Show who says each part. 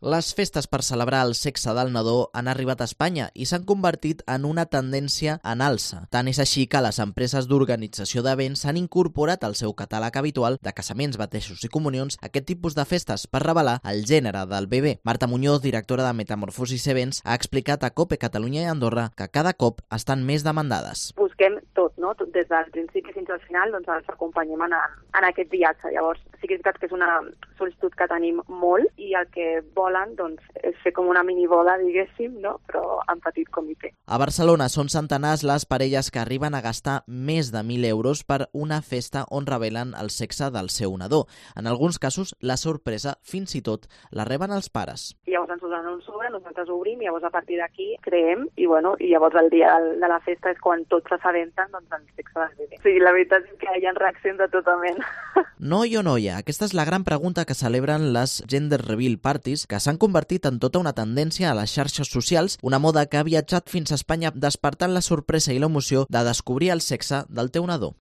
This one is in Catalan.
Speaker 1: Les festes per celebrar el sexe del nadó han arribat a Espanya i s'han convertit en una tendència en alça. Tant és així que les empreses d'organització d'events s'han incorporat al seu catàleg habitual de casaments, batejos i comunions aquest tipus de festes per revelar el gènere del bebè. Marta Muñoz, directora de Metamorfosis Events, ha explicat a COPE Catalunya i Andorra que cada cop estan més demandades.
Speaker 2: Busquem tot, no? Tot des del principi fins al final, doncs els acompanyem en aquest viatge. Llavors, sí que és veritat que és una sol·licitud que tenim molt i el que volen doncs, és fer com una miniboda, diguéssim, no? Però en petit comitè.
Speaker 1: A Barcelona són centenars les parelles que arriben a gastar més de 1.000 euros per una festa on revelen el sexe del seu nadó. En alguns casos, la sorpresa fins i tot la reben els pares.
Speaker 2: Llavors ens donen un sobre, nosaltres obrim i llavors a partir d'aquí creem i llavors el dia de la festa és quan tots s'assabenten doncs, el sexe del bebè. Sí, la veritat és que hi ha reaccions de tota mena.
Speaker 1: Noi o noia? Aquesta és la gran pregunta que celebren les Gender Reveal Parties, que s'han convertit en tota una tendència a les xarxes socials, una moda que ha viatjat fins a Espanya despertant la sorpresa i l'emoció de descobrir el sexe del teu nadó.